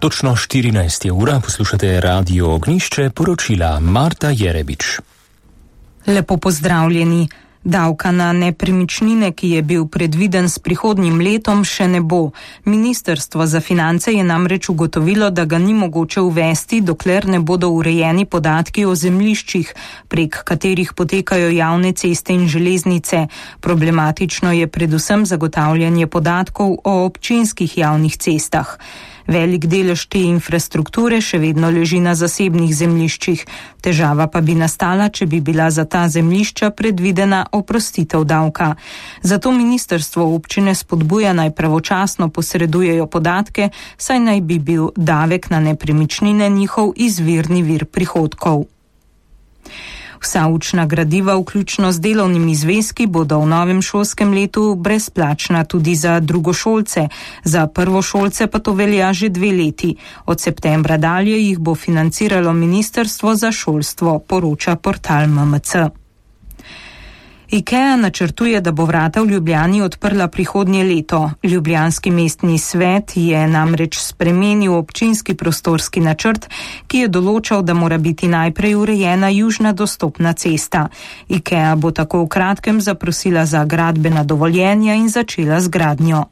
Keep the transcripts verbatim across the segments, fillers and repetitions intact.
Točno štirinajsta ura, poslušate Radio Ognjišče, poročila Marta Jerebič. Lepo pozdravljeni. Davka na nepremičnine, ki je bil predviden s prihodnjim letom, še ne bo. Ministrstvo za finance je namreč ugotovilo, da ga ni mogoče uvesti, dokler ne bodo urejeni podatki o zemljiščih, prek katerih potekajo javne ceste in železnice. Problematično je predvsem zagotavljanje podatkov o občinskih javnih cestah. Velik delež te infrastrukture še vedno leži na zasebnih zemljiščih. Težava pa bi nastala, če bi bila za ta zemljišča predvidena oprostitev davka. Zato ministrstvo občine spodbuja naj pravočasno posredujejo podatke, saj naj bi bil davek na nepremičnine njihov izvirni vir prihodkov. Vsa učna gradiva, vključno z delovnimi zvezki, bodo v novem šolskem letu brezplačna tudi za drugošolce. Za prvošolce pa to velja že dve leti. Od septembra dalje jih bo financiralo Ministrstvo za šolstvo, poroča portal M M C. IKEA načrtuje, da bo vrata v Ljubljani odprla prihodnje leto. Ljubljanski mestni svet je namreč spremenil občinski prostorski načrt, ki je določal, da mora biti najprej urejena južna dostopna cesta. IKEA bo tako v kratkem zaprosila za gradbena dovoljenja in začela z gradnjo.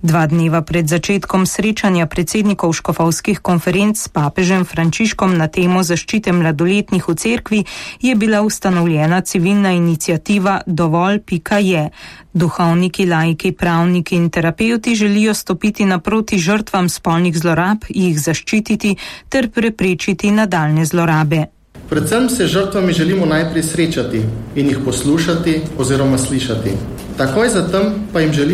Dva dneva pred začetkom srečanja predsednikov škofovskih konferenc s papežem Frančiškom na temo zaščite mladoletnih v cerkvi je bila ustanovljena civilna iniciativa Dovolj pika je. Duhovniki, laiki, pravniki in terapevti želijo stopiti naproti žrtvam spolnih zlorab, jih zaščititi ter preprečiti nadaljne zlorabe. Predvsem se žrtvami želimo najprej srečati in jih poslušati oziroma slišati. Takoj zatem pa jim želimo